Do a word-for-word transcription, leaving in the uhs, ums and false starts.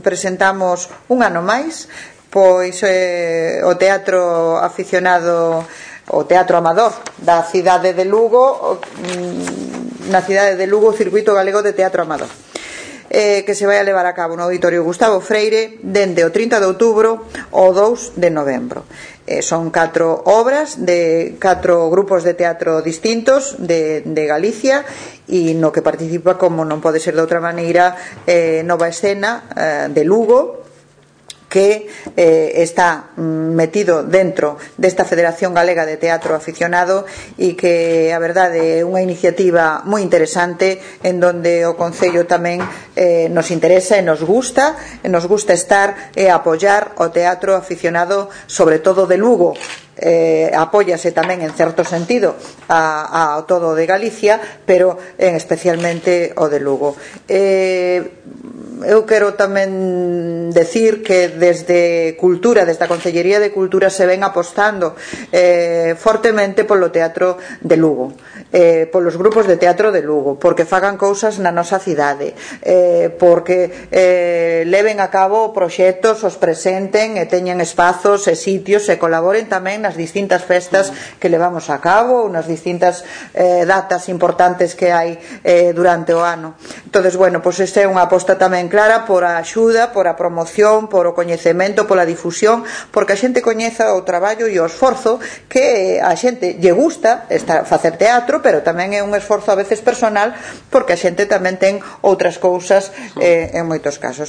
presentamos un ano máis pois eh, o teatro aficionado, o teatro amador da cidade de Lugo, na cidade de Lugo, o Circuito Galego de Teatro Amador, eh, que se vai a levar a cabo no Auditorio Gustavo Freire dende o trinta de outubro ao dous de novembro. Eh, son catro obras de catro grupos de teatro distintos de, de Galicia, e no que participa, como non pode ser de outra maneira, eh, Nova Escena eh, de Lugo, que eh, está metido dentro desta Federación Galega de Teatro Aficionado, e que a verdade é unha iniciativa moi interesante, en donde o Concello tamén eh, nos interesa e nos gusta e nos gusta estar e apoiar o teatro aficionado, sobre todo de Lugo. Eh, apóyase tamén en certo sentido a, a todo de Galicia, pero en especialmente o de Lugo. eh, eu quero tamén decir que desde Cultura, desde a Concellería de Cultura, se ven apostando eh, fortemente polo teatro de Lugo, eh, polos grupos de teatro de Lugo, porque fagan cousas na nosa cidade, eh, porque eh, leven a cabo proxectos, os presenten e teñan espazos e sitios e colaboren tamén nas distintas festas que levamos a cabo, ou nas distintas eh, datas importantes que hai eh, durante o ano. Entonces, bueno, pois esta é unha aposta tamén clara por a axuda, por a promoción, por o coñecemento, pola difusión, porque a xente coñeza o traballo e o esforzo, que a xente lle gusta estar, facer teatro, pero tamén é un esforzo a veces personal, porque a xente tamén ten outras cousas eh, en moitos casos.